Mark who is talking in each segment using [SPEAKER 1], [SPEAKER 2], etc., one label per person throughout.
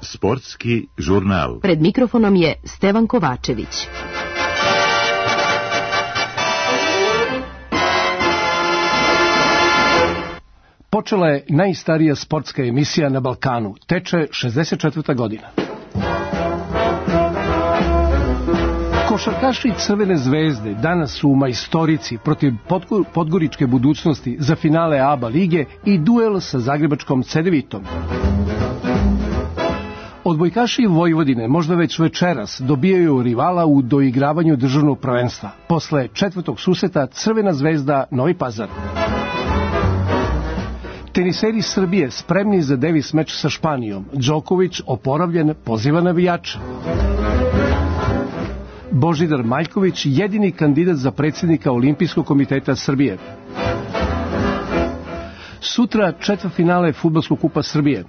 [SPEAKER 1] Sportski žurnal.
[SPEAKER 2] Pred mikrofonom je Stevan Kovačević.
[SPEAKER 3] Počela je najstarija sportska emisija na Balkanu. Teče 64. godina. Košarkaši Crvene zvezde danas su u majstorici protiv podgoričke Budućnosti za finale ABA lige i duel sa zagrebačkom Cedevitom. Odbojkaši Vojvodine možda već večeras dobijaju rivala u doigravanju državnog prvenstva. Posle četvrtog susreta Crvena zvezda Novi Pazar. Teniseri Srbije spremni za Davis meč sa Španijom. Đoković oporavljen, poziva navijača. Božidar Maljković jedini kandidat za predsjednika Olimpijskog komiteta Srbije. Sutra četvrtfinale Fudbalskog kupa Srbije.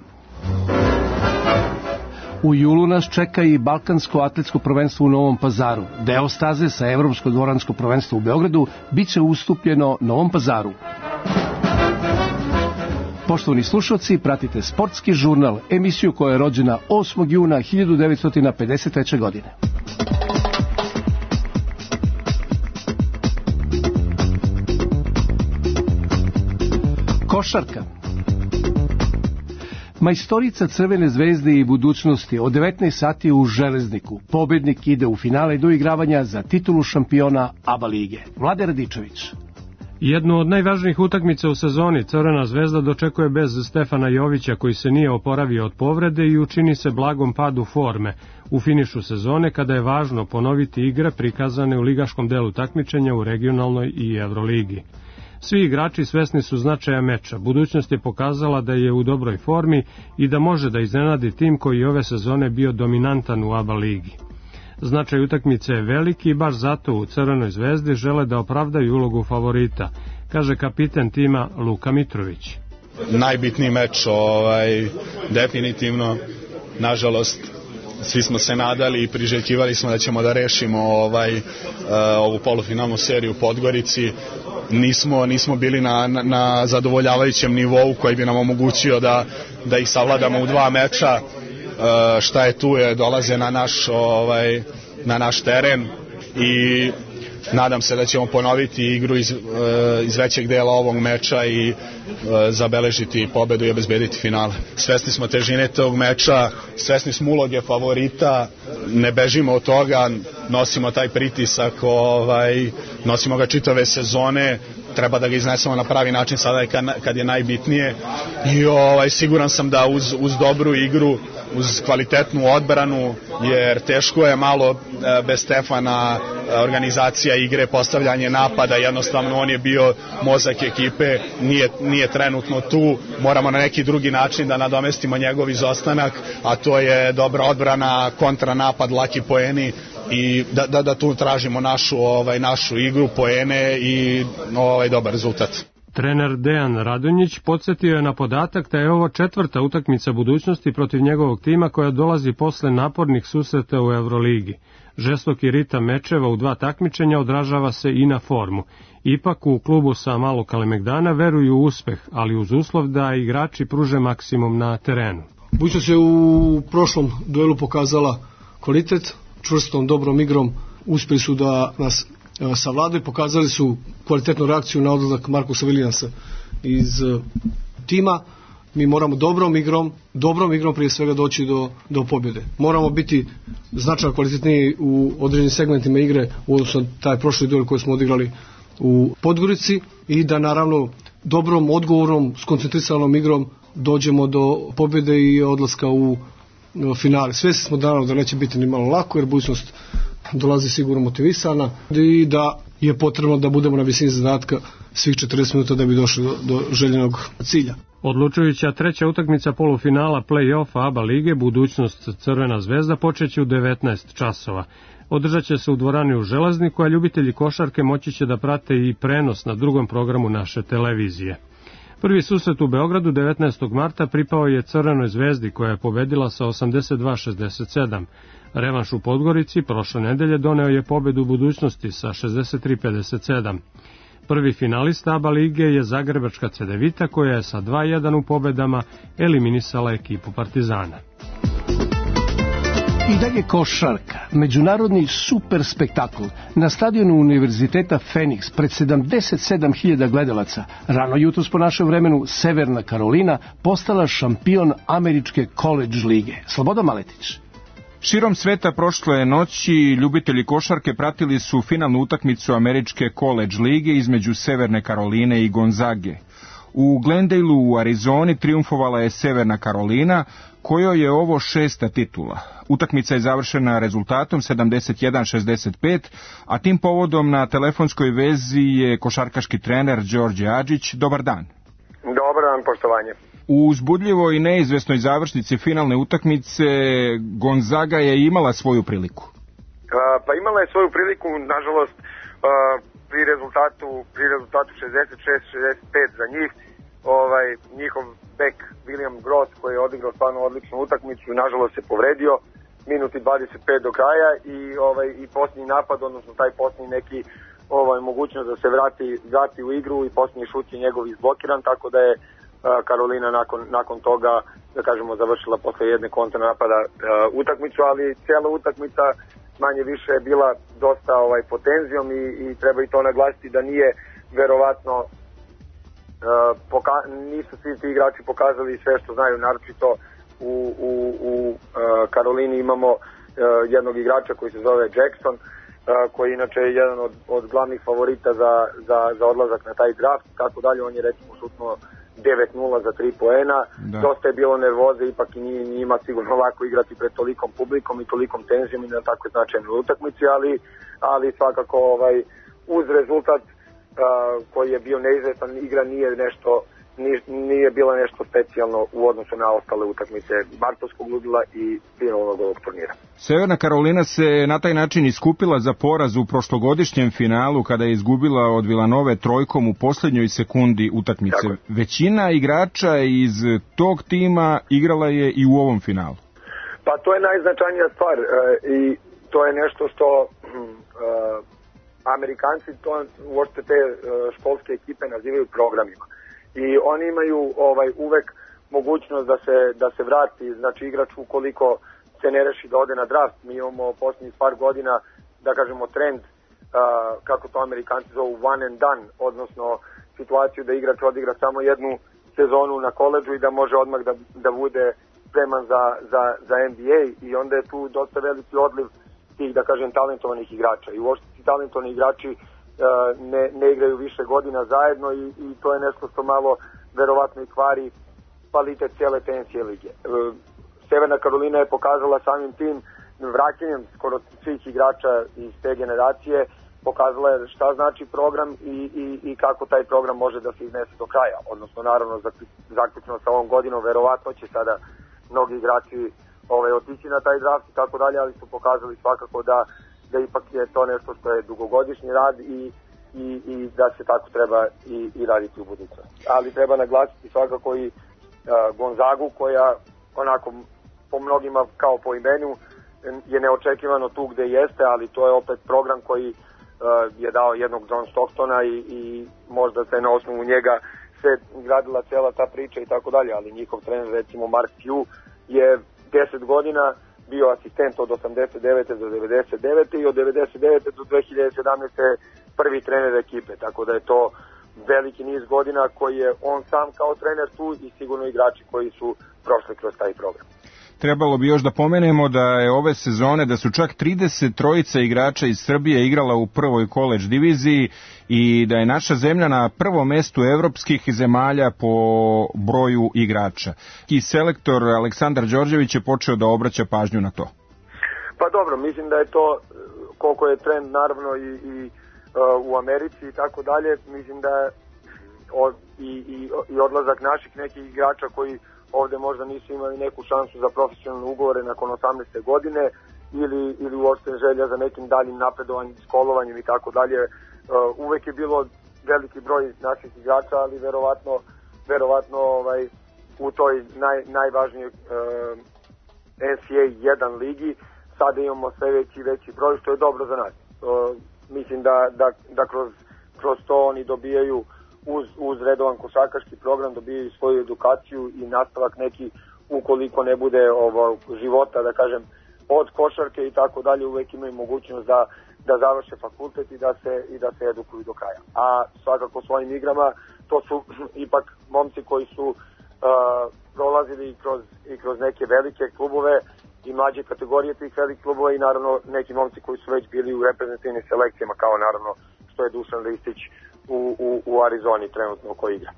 [SPEAKER 3] U julu nas čeka i Balkansko atletsko prvenstvo u Novom Pazaru. Deo staze sa Evropsko dvoransko prvenstvo u Beogradu biće ustupljeno Novom Pazaru. Poštovani slušalci, pratite Sportski žurnal, emisiju koja je rođena 8. juna 1953. godine. Košarka. Majstorica Crvene zvezde i Budućnosti od 19 sati u Železniku. Pobednik ide u finale doigravanja za titulu šampiona ABA lige. Vlade Radičević.
[SPEAKER 4] Jednu od najvažnijih utakmica u sezoni Crvena zvezda dočekuje bez Stefana Jovića, koji se nije oporavio od povrede i učini se blagom padu forme u finišu sezone, kada je važno ponoviti igre prikazane u ligaškom delu takmičenja u regionalnoj i Evroligi. Svi igrači svesni su značaja meča. Budućnost je pokazala da je u dobroj formi i da može da iznenadi tim koji je ove sezone bio dominantan u ABA ligi. Značaj utakmice je veliki i baš zato u Crvenoj zvezdi žele da opravdaju ulogu favorita, kaže kapiten tima Luka Mitrović.
[SPEAKER 5] Najbitniji meč, definitivno, nažalost, svi smo se nadali i priželjkivali smo da ćemo da rešimo ovu polufinalnu seriju u Podgorici. Nismo bili na zadovoljavajućem nivou koji bi nam omogućio da ih savladamo u dva meča. Šta je tu je, dolaze na naš teren i nadam se da ćemo ponoviti igru iz većeg dela ovog meča i zabeležiti pobedu i obezbediti finale. Svesni smo težine tog meča, svesni smo uloge favorita, ne bežimo od toga, nosimo taj pritisak, nosimo ga čitave sezone, treba da ga iznesemo na pravi način sada kad je najbitnije i siguran sam da uz dobru igru, uz kvalitetnu odbranu, jer teško je malo bez Stefana, organizacija igre, postavljanje napada, jednostavno on je bio mozak ekipe, nije trenutno tu, moramo na neki drugi način da nadomestimo njegov izostanak, a to je dobra odbrana, kontranapad, laki poeni i da tu tražimo našu igru, poene i dobar rezultat.
[SPEAKER 4] Trener Dejan Radonjić podsjetio je na podatak da je ovo četvrta utakmica Budućnosti protiv njegovog tima koja dolazi posle napornih susreta u Evroligi. Žestoki ritam mečeva u dva takmičenja odražava se i na formu. Ipak u klubu sa Malog Kalemegdana veruju u uspeh, ali uz uslov da igrači pruže maksimum na terenu.
[SPEAKER 6] Budućnost je u prošlom duelu pokazala kvalitet, čvrstom, dobrom igrom, uspjeli su da nas savladaju, pokazali su kvalitetnu reakciju na odlazak Markusa Williamsa iz tima. Mi moramo dobrom igrom prije svega doći do pobjede. Moramo biti značajno kvalitetniji u određenim segmentima igre u odnosu na taj prošli duel koji smo odigrali u Podgorici i da naravno dobrom, odgovornom, skoncentrisanom igrom dođemo do pobjede i odlaska u finale. Svjesni smo naravno da neće biti ni malo lako, jer Budućnost dolazi sigurno motivisana i da je potrebno da budemo na visini zadatka svih 40 minuta da bi došli do željenog cilja.
[SPEAKER 4] Odlučujuća treća utakmica polufinala play-offa ABA lige Budućnost Crvena zvezda počeće u 19 časova. Održat će se u dvorani u Železniku, a ljubitelji košarke moći će da prate i prenos na drugom programu naše televizije. Prvi susret u Beogradu 19. marta pripao je Crvenoj zvezdi koja je pobedila sa 82-67. Revanš u Podgorici prošle nedelje doneo je pobedu Budućnosti sa 63-57. Prvi finalista ABA lige je zagrebačka Cedevita koja je sa 2:1 u pobedama eliminisala ekipu Partizana.
[SPEAKER 3] I dalje košarka, međunarodni super spektakl na stadionu Univerziteta Phoenix pred 77.000 gledalaca. Rano jutros po našem vremenu Severna Karolina postala šampion američke college lige. Slobodan Maletić.
[SPEAKER 7] Širom sveta prošle noći ljubitelji košarke pratili su finalnu utakmicu američke college lige između Severne Karoline i Gonzage. U Glendaleu u Arizoni triumfovala je Severna Karolina, kojoj je ovo 6. titula. Utakmica je završena rezultatom 71-65, a tim povodom na telefonskoj vezi je košarkaški trener Đorđe Adžić. Dobar dan.
[SPEAKER 8] Dobar dan, poštovanje.
[SPEAKER 7] U uzbudljivoj i neizvesnoj završnici finalne utakmice Gonzaga je imala svoju priliku.
[SPEAKER 8] Pa imala je svoju priliku, nažalost, pri rezultatu 66-65 za njih. Njihov bek William Gross, koji je odigrao stvarno odličnu utakmicu, nažalost se povredio minuti 25 do kraja i posljednji napad, odnosno taj posljednji neki mogućnost da se vrati u igru i posljednji šut je njegov izblokiran, tako da je Karolina nakon toga, da kažemo, završila posle jedne kontranapada utakmicu, ali cijela utakmica manje više je bila dosta pod tenzijom i treba i to naglasiti da nije verovatno nisu svi ti igrači pokazali sve što znaju, naročito u Karolini imamo jednog igrača koji se zove Jackson, koji inače je jedan od glavnih favorita za odlazak na taj draft, tako dalje. On je recimo šutnuo 9-0 za 3 poena. Dosta je bilo nervoze, ipak i nije njima sigurno lako igrati pred tolikom publikom i tolikom tenzijom i na tako značajnoj utakmici, ali svakako uz rezultat koji je bio neizvestan, igra nije bila nešto specijalno u odnosu na ostale utakmice martovskog ludila i finalnog ovog turnira.
[SPEAKER 7] Severna Karolina se na taj način iskupila za poraz u prošlogodišnjem finalu kada je izgubila od Vilanove trojkom u posljednjoj sekundi utakmice. Tako. Većina igrača iz tog tima igrala je i u ovom finalu.
[SPEAKER 8] Pa to je najznačajnija stvar i to je nešto što Amerikanci uopšte te školske ekipe nazivaju programima. I oni imaju uvek mogućnost da se vrati, znači igrač ukoliko se ne reši da ode na draft. Mi imamo posljednjih par godina, da kažemo, trend, kako to Amerikanci zovu, one and done, odnosno situaciju da igrač odigra samo jednu sezonu na koledžu i da može odmah da bude spreman za NBA, i onda je tu dosta veliki odliv tih, da kažem, talentovanih igrača. I uopšte ti talentovani igrači ne igraju više godina zajedno i to je nešto što malo verovatno i kvari kvalitet cijele TNCAA lige. Severna Karolina je pokazala samim tim vraćanjem skoro svih igrača iz te generacije, pokazala je šta znači program i kako taj program može da se iznese do kraja. Odnosno, naravno, zaključno sa ovom godinom, verovatno će sada mnogi igrači otići na taj draft i tako dalje, ali su pokazali svakako da ipak je to nešto što je dugogodišnji rad i da se tako treba i raditi u budućnosti. Ali treba naglasiti svakako i Gonzagu, koja onako po mnogima kao po imenu je neočekivano tu gde jeste, ali to je opet program koji je dao jednog John Stocktona i možda se na osnovu njega se gradila cijela ta priča i tako dalje, ali njihov trener, recimo Mark Few, je 10 godina bio asistent od 89. do 99. i od 99. do 2017. prvi trener ekipe, tako da je to veliki niz godina koji je on sam kao trener tu i sigurno igrači koji su prošli kroz taj program.
[SPEAKER 7] Trebalo bi još da pomenemo da je ove sezone, da su čak 33 igrača iz Srbije igrala u prvoj college diviziji i da je naša zemlja na prvom mestu evropskih zemalja po broju igrača. I selektor Aleksandar Đorđević je počeo da obraća pažnju na to.
[SPEAKER 8] Pa dobro, mislim da je to, koliko je trend naravno i u Americi i tako dalje, mislim da i odlazak naših nekih igrača koji ovde možda nisu imali neku šansu za profesionalne ugovore nakon 18. godine ili uopšte želja za nekim daljim napredovanjem, školovanjem i tako dalje. Uvek je bilo veliki broj naših igrača, ali verovatno u toj najvažnijoj NCAA 1 ligi sada imamo sve veći broj, što je dobro za nas. Mislim da kroz kroz to oni dobijaju uz redovan košarkaški program, dobijaju svoju edukaciju i nastavak neki, ukoliko ne bude života, da kažem, od košarke i tako dalje, uvek imaju mogućnost da završe fakultet i da se edukuju do kraja. A svakako svojim igrama, to su ipak momci koji su prolazili i kroz neke velike klubove i mlađe kategorije tih velikih klubova i naravno neki momci koji su već bili u reprezentativnim selekcijama, kao naravno što je Dušan Ristić u Arizoni trenutno koji igra.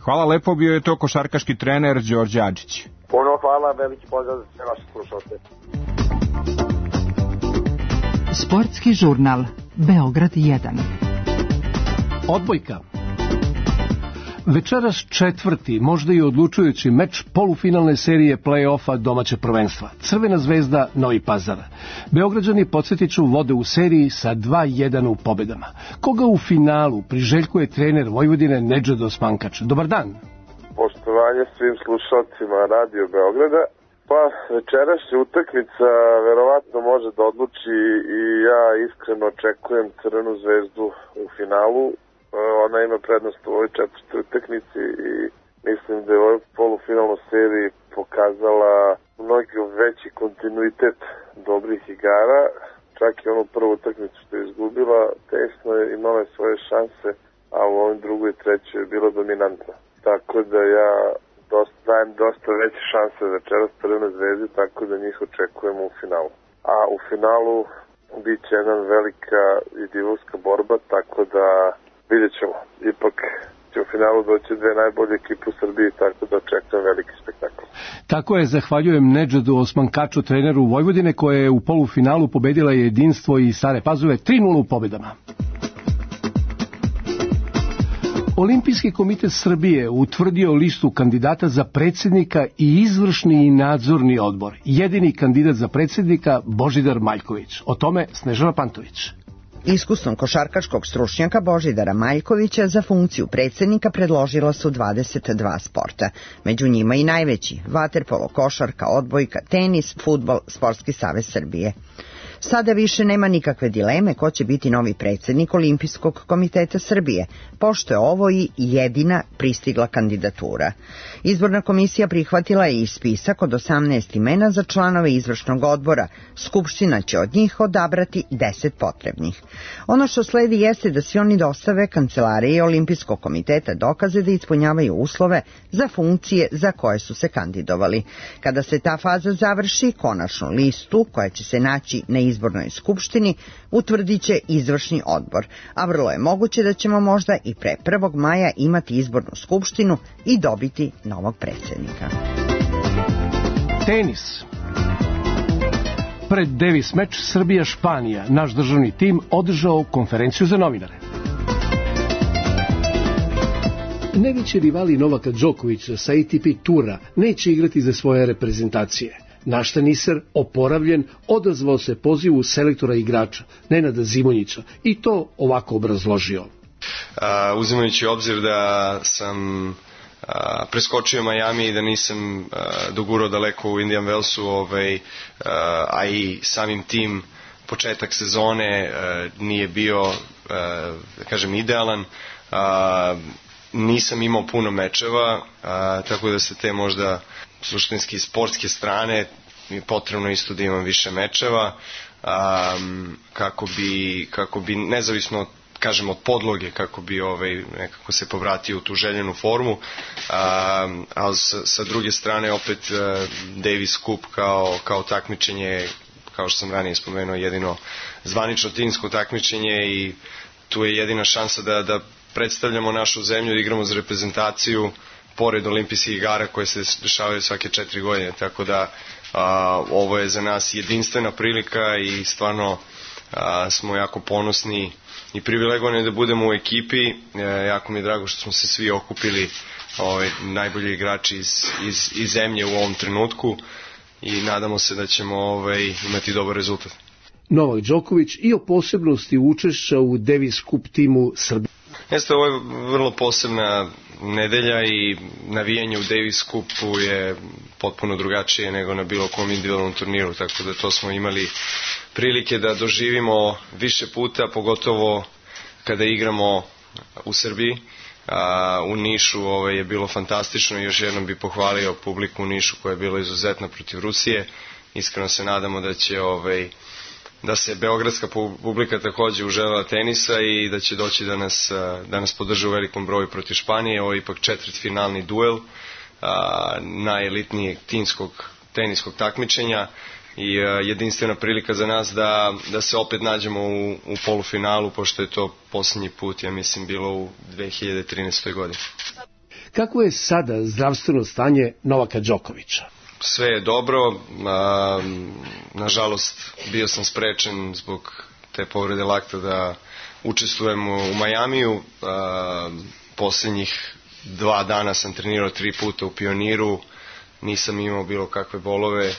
[SPEAKER 7] Hvala lepo, bio je to košarkaški trener Đorđe Adžić.
[SPEAKER 8] Puno hvala, veliki pozdrav za sve vaše slušalce.
[SPEAKER 2] Sportski žurnal Beograd 1.
[SPEAKER 3] Odbojka. Večeras četvrti, možda i odlučujući meč polufinalne serije play-offa domaće prvenstva. Crvena zvezda Novi Pazar. Beograđani, podsjetiću, vode u seriji sa 2-1 u pobedama. Koga u finalu priželjkuje trener Vojvodine Nedžad Osmankač? Dobar dan.
[SPEAKER 9] Poštovanje svim slušalcima Radio Beograda. Pa večerašnja utakmica verovatno može da odluči i ja iskreno očekujem Crvenu zvezdu u finalu. Ona ima prednost u ovoj četvrtoj utakmici i mislim da je u ovoj polufinalnoj seriji pokazala mnogo veći kontinuitet dobrih igara. Čak i onu prvu utakmicu što je izgubila, tesno je imala svoje šanse, a u ovoj drugoj i trećoj je bila dominantna. Tako da ja dajem dosta veće šanse večeras Crvene zvezde, tako da njih očekujemo u finalu. A u finalu bit će jedna velika i divovska borba, tako da vidjet ćemo. Ipak će u finalu doći dve najbolje ekipe u Srbiji, tako da očekujem veliki spektakl.
[SPEAKER 3] Tako je, zahvaljujem Nedžadu Osmankaču, treneru Vojvodine, koja je u polufinalu pobedila Jedinstvo i Stare Pazove 3-0 u pobedama. Olimpijski komitet Srbije utvrdio listu kandidata za predsjednika i izvršni i nadzorni odbor. Jedini kandidat za predsjednika Božidar Maljković. O tome Snežana Pantović.
[SPEAKER 10] Iskusnog košarkaškog stručnjaka Božidara Maljkovića za funkciju predsjednika predložila su 22 sporta. Među njima i najveći: vaterpolo, košarka, odbojka, tenis, fudbal, Sportski savez Srbije. Sada više nema nikakve dileme ko će biti novi predsjednik Olimpijskog komiteta Srbije, pošto je ovo i jedina pristigla kandidatura. Izborna komisija prihvatila je i spisak od 18 imena za članove izvršnog odbora. Skupština će od njih odabrati 10 potrebnih. Ono što sledi jeste da svi oni dostave kancelariji Olimpijskog komiteta dokaze da ispunjavaju uslove za funkcije za koje su se kandidovali. Kada se ta faza završi, konačnu listu koja će se naći na izbornoj skupštini utvrdit će izvršni odbor, a vrlo je moguće da ćemo možda i pre 1. maja imati izbornu skupštinu i dobiti novog predsjednika.
[SPEAKER 3] Tenis. Pred Davis meč Srbija-Španija naš državni tim održao konferenciju za novinare. Najveći rivali Novaka Đokovića sa ATP tura neće igrati za svoje reprezentacije. Naš teniser, oporavljen, odazvao se pozivu selektora igrača Nenada Zimonjića i to ovako obrazložio.
[SPEAKER 11] Uzimajući obzir da sam preskočio Miami i da nisam dogurao daleko u Indian Wellsu, a i samim tim početak sezone nije bio, da kažem, idealan. Nisam imao puno mečeva, tako da se te možda suštinski sportske strane mi potrebno isto da imam više mečeva, kako bi nezavisno, kažem, od podloge, kako bi nekako se povratio u tu željenu formu, ali sa druge strane opet Davis Cup kao takmičenje, kao što sam ranije spomenuo, jedino zvanično timsko takmičenje i tu je jedina šansa da predstavljamo našu zemlju, da igramo za reprezentaciju pored olimpijskih igara koje se dešavaju svake 4 godine, tako da ovo je za nas jedinstvena prilika i stvarno smo jako ponosni i privilegovani da budemo u ekipi. Jako mi je drago što smo se svi okupili, najbolji igrači iz zemlje u ovom trenutku i nadamo se da ćemo imati dobar rezultat.
[SPEAKER 3] Novak Đoković i o posebnosti učešća u Davis Cup timu Srbije.
[SPEAKER 11] Jeste, ovo je vrlo posebna nedelja i navijanje u Davis Cupu je potpuno drugačije nego na bilo kom individualnom turniru, tako da to smo imali prilike da doživimo više puta, pogotovo kada igramo u Srbiji. U Nišu je bilo fantastično i još jednom bih pohvalio publiku u Nišu koja je bila izuzetna protiv Rusije. Iskreno se nadamo da će da se beogradska publika takođe uželjela tenisa i da će doći da nas podrže u velikom broju protiv Španije. Ovo je ipak četvrtfinalni duel najelitnijeg timskog teniskog takmičenja i jedinstvena prilika za nas da se opet nađemo u polufinalu, pošto je to posljednji put, ja mislim, bilo u 2013. godini.
[SPEAKER 3] Kako je sada zdravstveno stanje Novaka Đokovića?
[SPEAKER 11] Sve je dobro, nažalost bio sam sprečen zbog te povrede lakta da učestvujem u Majamiju. Posljednjih 2 dana sam trenirao 3 puta u Pioniru, nisam imao bilo kakve bolove,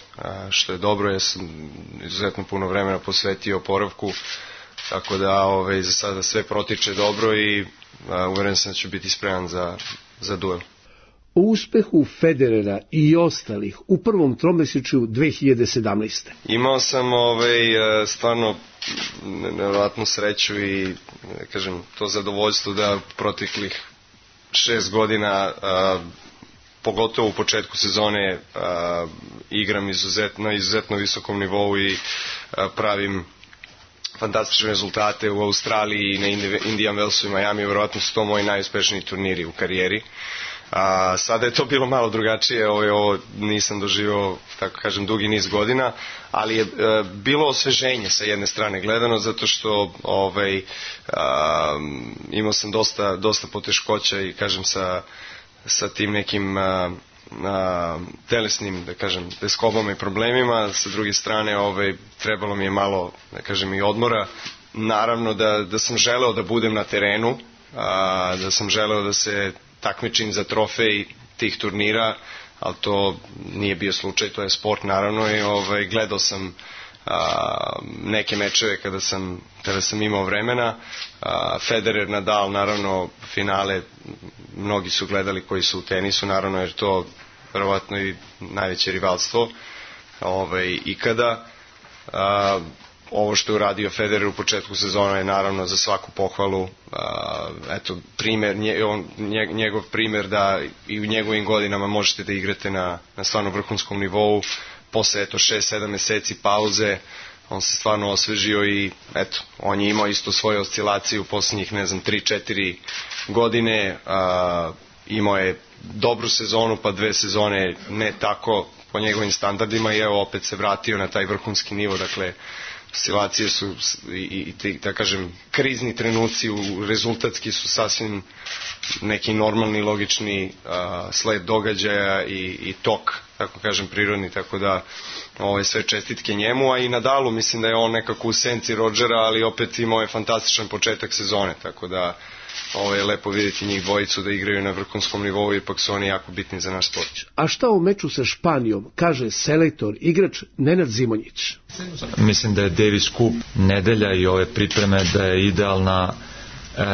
[SPEAKER 11] što je dobro, ja sam izuzetno puno vremena posvetio oporavku, tako da za sada sve protiče dobro i uveren sam da ću biti spreman za duel.
[SPEAKER 3] O uspehu Federera i ostalih u prvom tromesečju 2017.
[SPEAKER 11] Imao sam stvarno nevjerojatnu sreću i kažem to zadovoljstvo da proteklih 6 godina pogotovo u početku sezone igram na izuzetno visokom nivou i pravim fantastične rezultate u Australiji i na Indian Wellsu i Miami. Vjerojatno su to moji najuspešniji turniri u karijeri. Sada je to bilo malo drugačije, ovo nisam doživio, tako kažem, dugi niz godina, ali je bilo osveženje sa jedne strane gledano, zato što imao sam dosta poteškoća i kažem sa tim nekim telesnim, da kažem, teskobama i problemima. Sa druge strane trebalo mi je malo, da kažem, i odmora. Naravno da sam želeo da budem na terenu, da sam želeo da se takmičim za trofej tih turnira, ali to nije bio slučaj, to je sport naravno i gledao sam neke mečeve kada sam imao vremena. Federer, Nadal, naravno finale mnogi su gledali koji su u tenisu, naravno jer to verovatno i najveće rivalstvo ikada. Ovo što je uradio Federer u početku sezona je naravno za svaku pohvalu. Eto, njegov primer da i u njegovim godinama možete da igrate na stvarno vrhunskom nivou. Posle 6-7 meseci pauze on se stvarno osvežio i eto, on je imao isto svoje oscilacije u posljednjih 3-4 godine. Imao je dobru sezonu, pa 2 sezone ne tako po njegovim standardima i evo opet se vratio na taj vrhunski nivo. Dakle, oscilacije su i da kažem krizni trenuci rezultatski su sasvim neki normalni, logični sled događaja i tok, tako kažem, prirodni, tako da sve čestitke njemu, a i Nadalu, mislim da je on nekako u senci Rodgera, ali opet imao je fantastičan početak sezone, tako da je lepo vidjeti njih dvojicu da igraju na vrhunskom nivou, ipak su oni jako bitni za naš sport.
[SPEAKER 3] A šta o meču sa Španijom kaže selektor, igrač Nenad Zimonjić?
[SPEAKER 12] Mislim da je Davis Cup nedelja i ove pripreme da je idealna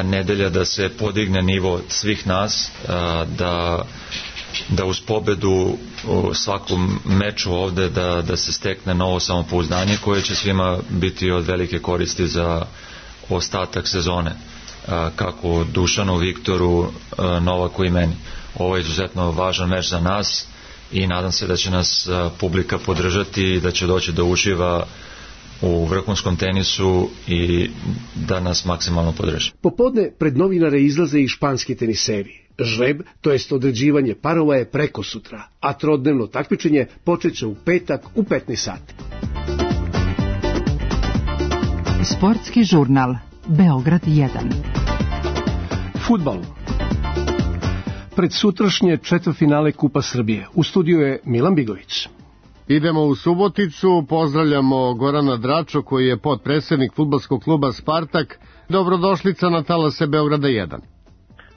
[SPEAKER 12] nedelja da se podigne nivo svih nas, da uz pobedu u svakom meču ovde da se stekne novo samopouzdanje koje će svima biti od velike koristi za ostatak sezone, kako Dušanu, Viktoru, Novaku i meni. Ovo je izuzetno važan meč za nas i nadam se da će nas publika podržati i da će doći da uživa u vrhunskom tenisu i da nas maksimalno podrži.
[SPEAKER 3] Popodne pred novinare izlaze i španski teniseri. Žreb, to jest određivanje parova, je preko sutra, a trodnevno takmičenje počeće u petak u 15 sati.
[SPEAKER 2] Sportski žurnal Beograd 1.
[SPEAKER 3] Fudbal. Pred sutrašnje četvrtfinale Kupa Srbije. U studiju je Milan Bigović.
[SPEAKER 13] Idemo u Suboticu, pozdravljamo Gorana Dračo koji je potpredsednik fudbalskog kluba Spartak. Dobrodošlica na talase Beograda 1.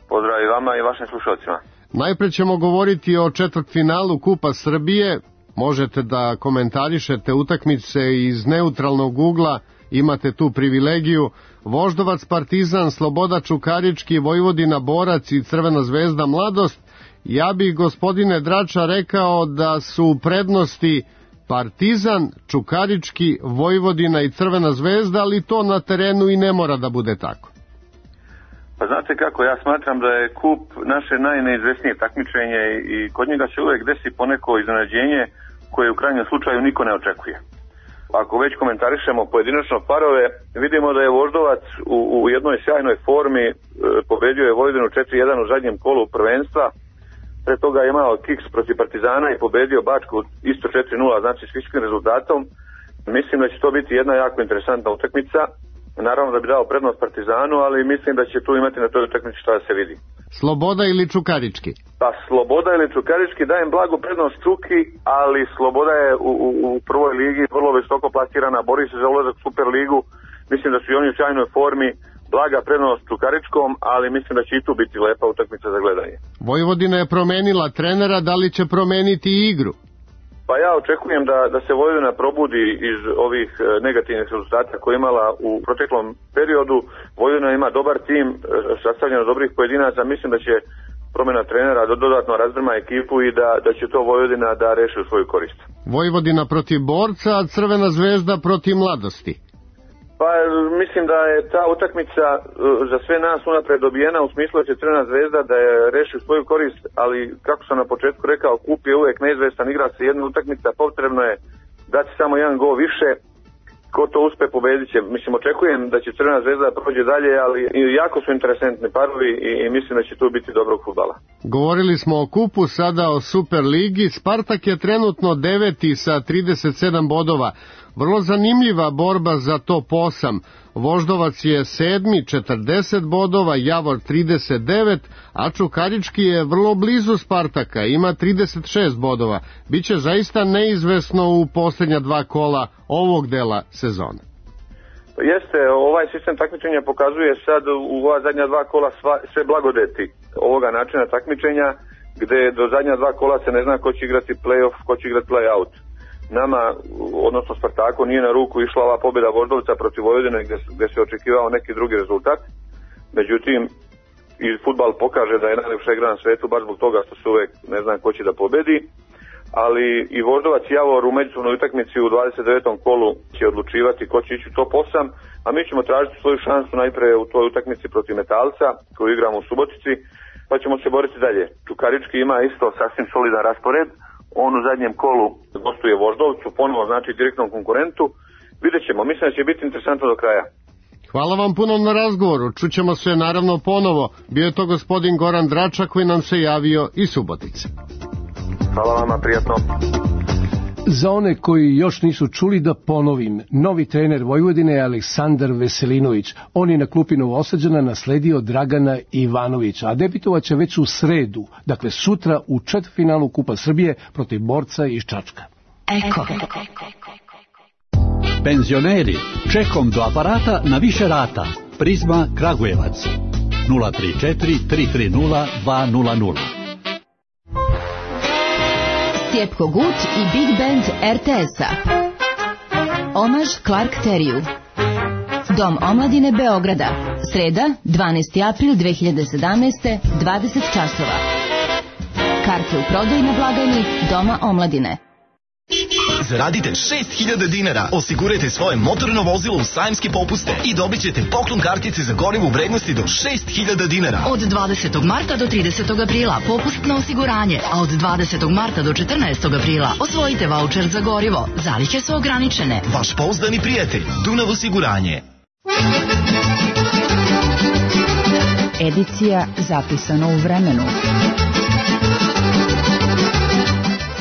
[SPEAKER 14] Pozdrav i vama i vašim slušalcima.
[SPEAKER 13] Najpre ćemo govoriti o četvrtfinalu Kupa Srbije. Možete da komentarišete utakmice iz neutralnog ugla, imate tu privilegiju. Voždovac, Partizan, Sloboda, Čukarički, Vojvodina, Borac i Crvena zvezda Mladost. Ja bih, gospodine Drača, rekao da su u prednosti Partizan, Čukarički, Vojvodina i Crvena zvezda, ali to na terenu i ne mora da bude tako.
[SPEAKER 14] Pa znate kako, ja smatram da je kup naše najneizvesnije takmičenje i kod njega se uvek desi poneko iznenađenje koje u krajnjem slučaju niko ne očekuje. Ako već komentarišemo pojedinačno parove, vidimo da je Voždovac u jednoj sjajnoj formi, pobedio je Vojvodinu 4-1 u zadnjem kolu prvenstva, pre toga je imao kiks protiv Partizana i pobedio Bačku isto 4-0, znači s visokim rezultatom. Mislim da će to biti jedna jako interesantna utakmica. Naravno da bi dao prednost Partizanu, ali mislim da će tu imati na toj utakmici šta da se vidi.
[SPEAKER 13] Sloboda ili Čukarički?
[SPEAKER 14] Pa Sloboda ili Čukarički, dajem blagu prednost Čuki, ali Sloboda je u prvoj ligi vrlo visoko plasirana, bori se za ulazak u Super ligu. Mislim da su i oni u sjajnoj formi, blaga prednost Čukaričkom, ali mislim da će i tu biti lepa utakmica za gledanje.
[SPEAKER 13] Vojvodina je promenila trenera, da li će promeniti i igru?
[SPEAKER 14] Pa ja očekujem da se Vojvodina probudi iz ovih negativnih rezultata koje je imala u proteklom periodu. Vojvodina ima dobar tim, sastavljen od dobrih pojedinaca, mislim da će promjena trenera dodatno razdrma ekipu i da će to Vojvodina da reši u svoju korist.
[SPEAKER 13] Vojvodina protiv Borca, a Crvena zvezda protiv Mladosti.
[SPEAKER 14] Pa mislim da je ta utakmica za sve nas unapred dobijena u smislu da će Crvena zvezda da je reši svoju korist, ali kako sam na početku rekao, kup je uvek neizvestan, igra se jedna utakmica, potrebno je dati samo jedan gol više, ko to uspe pobedit će. Mislim, očekujem da će Crvena zvezda prođe dalje, ali jako su interesantni parovi i mislim da će tu biti dobrog fudbala.
[SPEAKER 13] Govorili smo o kupu, sada o Super ligi. Spartak je trenutno 9. sa 37 bodova. Vrlo zanimljiva borba za top 8. Voždovac je 7. 40 bodova, Javor 39, a Čukarički je vrlo blizu Spartaka, ima 36 bodova. Biće zaista neizvesno u posljednja dva kola ovog dela sezone.
[SPEAKER 14] Jeste, ovaj sistem takmičenja pokazuje sad u ova zadnja dva kola sve blagodeti ovoga načina takmičenja, gde do zadnja dva kola se ne zna ko će igrati play-off, ko će igrati play-out. Nama, odnosno Spartaku, nije na ruku išla ova pobjeda Voždovca protiv Vojvodine gdje se očekivao neki drugi rezultat. Međutim, i fudbal pokaže da je najljepša igra na svetu baš zbog toga što se uvek ne zna ko će da pobedi. Ali i Voždovac i Javor u međusobnoj utakmici u 29. kolu će odlučivati ko će ići u top 8, a mi ćemo tražiti svoju šansu najpre u toj utakmici protiv Metalca koju igramo u Subotici, pa ćemo se boriti dalje. Čukarički ima isto sasvim solidan raspored. On u zadnjem kolu gostuje Voždovcu, ponovo znači direktnom konkurentu. Vidjet ćemo, mislim da će biti interesantno do kraja.
[SPEAKER 13] Hvala vam puno na razgovoru, čućemo se naravno ponovo. Bio je to gospodin Goran Drača koji nam se javio iz Subotice.
[SPEAKER 14] Hvala vama, prijatno.
[SPEAKER 3] Za one koji još nisu čuli, da ponovim, novi trener Vojvodine je Aleksandar Veselinović. On je na klupi Novosađana nasledio Dragana Ivanovića, a debitovaće već u sredu, dakle sutra u četvrtfinalu Kupa Srbije protiv Borca iz Čačka.
[SPEAKER 15] Eko. Penzioneri, čekom do aparata na više rata. Prizma Kragujevac 034 330 200.
[SPEAKER 16] Stjepko Gut i Big Band RTS-a. Omaž Clark Teriju. Dom omladine Beograda. Sreda, 12. april 2017. 20 časova. Karte u prodaju na blagajni Doma omladine.
[SPEAKER 17] Zaradite 6.000 dinara, osigurajte svoje motorno vozilo u sajamske popuste i dobit ćete poklon kartice za gorivo u vrednosti do 6.000 dinara.
[SPEAKER 18] Od 20. marta do 30. aprila popust na osiguranje, a od 20. marta do 14. aprila osvojite vaučer za gorivo. Zalihe su ograničene.
[SPEAKER 17] Vaš pouzdani prijatelj, Dunav osiguranje.
[SPEAKER 2] Edicija zapisano u vremenu.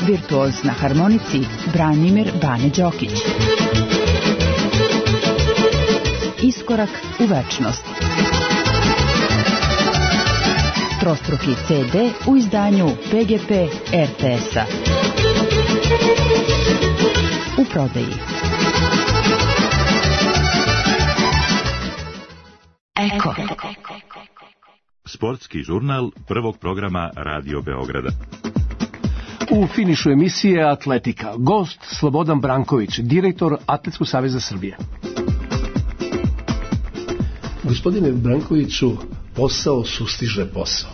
[SPEAKER 2] Virtuoz na harmonici Branimir Bane Đokić. Iskorak u večnost. Trostruki CD u izdanju PGP RTS-a. U prodaji.
[SPEAKER 16] Eko.
[SPEAKER 1] Sportski žurnal prvog programa Radio Beograda.
[SPEAKER 3] U finišu emisije Atletika. Gost Slobodan Branković, direktor Atletskog saveza Srbije. Gospodine Brankoviću, posao sustiže posao.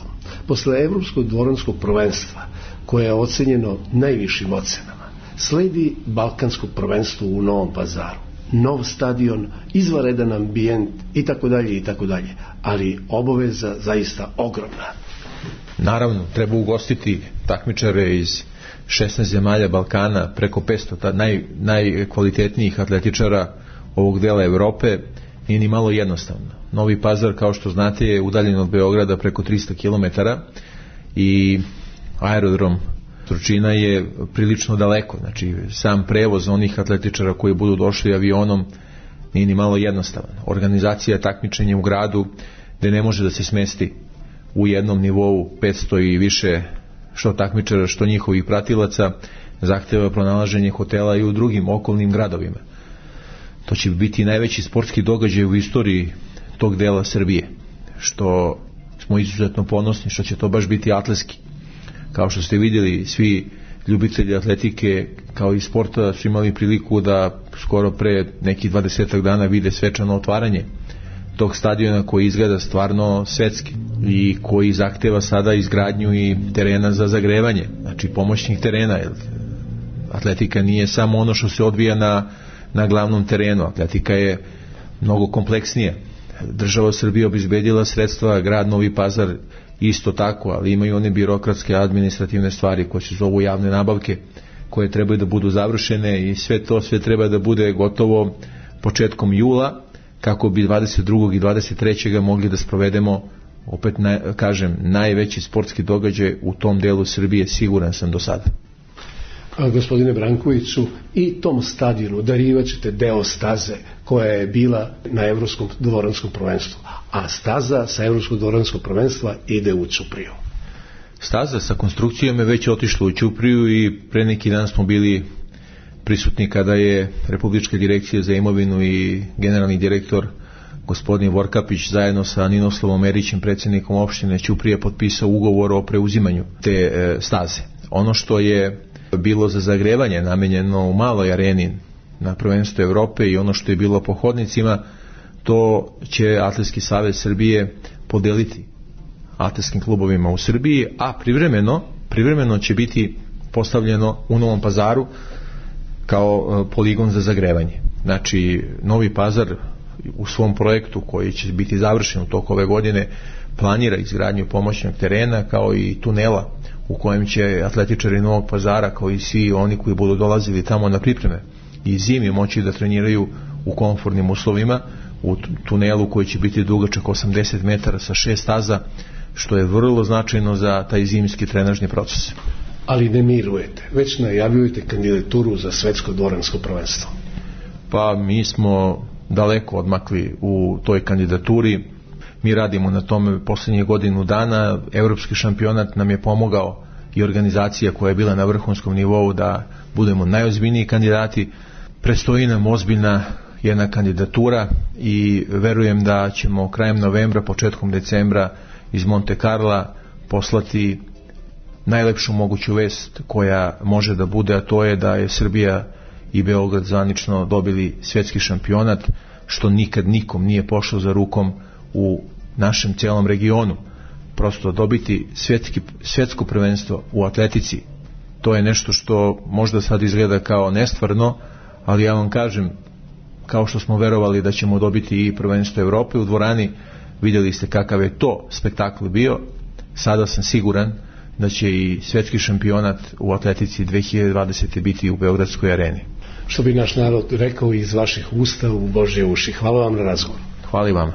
[SPEAKER 3] Posle Evropskog dvoranskog prvenstva, koje je ocenjeno najvišim ocenama, sledi Balkansko prvenstvo u Novom Pazaru. nov stadion, izvanredan ambijent i tako dalje, ali obaveza zaista ogromna.
[SPEAKER 19] Naravno, treba ugostiti takmičare iz 16 zemalja Balkana, preko 500 najkvalitetnijih atletičara ovog dela Evrope. Nije ni malo jednostavno. Novi Pazar, kao što znate, je udaljen od Beograda preko 300 km i aerodrom Surčina je prilično daleko. Znači, sam prevoz onih atletičara koji budu došli avionom nije ni malo jednostavan. Organizacija takmičenja u gradu gde ne može da se smesti u jednom nivou 500 i više što takmičara, što njihovih pratilaca, zahteva pronalaženje hotela i u drugim okolnim gradovima. To će biti najveći sportski događaj u istoriji tog dela Srbije, što smo izuzetno ponosni, što će to baš biti atletski. Kao što ste vidjeli, svi ljubitelji atletike kao i sporta su imali priliku da skoro pre nekih 20 dana vide svečano otvaranje tog stadiona koji izgleda stvarno svetski i koji zahteva sada izgradnju i terena za zagrevanje, znači pomoćnih terena. Atletika nije samo ono što se odvija na glavnom terenu, atletika je mnogo kompleksnija. Država Srbija obezbedila sredstva, grad Novi Pazar isto tako, ali imaju one birokratske administrativne stvari koje se zovu javne nabavke, koje trebaju da budu završene i sve treba da bude gotovo početkom jula, kako bi 22. i 23. mogli da sprovedemo, opet kažem, najveći sportski događaj u tom delu Srbije, siguran sam do sada.
[SPEAKER 3] Gospodine Brankoviću, i tom stadionu darivat ćete deo staze koja je bila na Evropskom dvoranskom prvenstvu, a staza sa Evropskog dvoranskog prvenstva ide u Ćupriju.
[SPEAKER 19] Staza sa konstrukcijom je već otišla u Ćupriju i pre neki dan smo bili prisutni kada je Republička direkcija za imovinu i generalni direktor gospodin Vorkapić zajedno sa Ninoslavom Erićem, predsjednikom opštine Ćuprije, potpisao ugovor o preuzimanju te staze. Ono što je bilo za zagrevanje namenjeno u maloj areni na prvenstvu Evrope i ono što je bilo po hodnicima, to će Atletski savez Srbije podeliti atletskim klubovima u Srbiji, a privremeno će biti postavljeno u Novom Pazaru kao poligon za zagrevanje. Znači, Novi Pazar u svom projektu koji će biti završen u toku ove godine planira izgradnju pomoćnog terena kao i tunela u kojem će atletičari Novog Pazara, kao i svi oni koji budu dolazili tamo na pripreme i zimi, moći da treniraju u komfortnim uslovima u tunelu koji će biti dugačak 80 metara sa 6 staza, što je vrlo značajno za taj zimski trenažni proces.
[SPEAKER 3] Ali ne mirujete, već najavljujete kandidaturu za svetsko dvoransko prvenstvo.
[SPEAKER 19] Pa mi smo daleko odmakli u toj kandidaturi. Mi radimo na tome posljednjih godinu dana. Evropski šampionat nam je pomogao i organizacija koja je bila na vrhunskom nivou da budemo najozbiljniji kandidati. Predstoji nam ozbiljna jedna kandidatura i verujem da ćemo krajem novembra, početkom decembra iz Monte Carla poslati najlepšu moguću vest koja može da bude, a to je da je Srbija i Beograd zvanično dobili svetski šampionat, što nikad nikom nije pošlo za rukom u našem cijelom regionu. Prosto dobiti svetsko prvenstvo u atletici, to je nešto što možda sad izgleda kao nestvarno, ali ja vam kažem, kao što smo verovali da ćemo dobiti i prvenstvo Evrope u dvorani, vidjeli ste kakav je to spektakl bio, sada sam siguran da će i svetski šampionat u atletici 2020. biti u Beogradskoj areni.
[SPEAKER 3] Što bi naš narod rekao iz vaših usta u Božje uši. Hvala vam na razgovor.
[SPEAKER 19] Hvala i vama.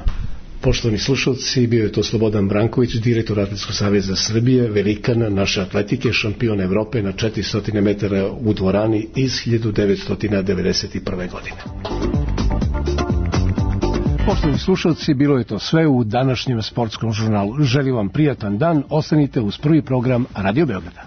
[SPEAKER 3] Poštovani slušalci, bio je to Slobodan Branković, direktor Atletskog saveza Srbije, velikana naše atletike, šampion Evrope na 400 metara u dvorani iz 1991. godine. Poštovani slušalci, bilo je to sve u današnjem sportskom žurnalu. Želim vam prijatan dan, ostanite uz prvi program Radio Beograda.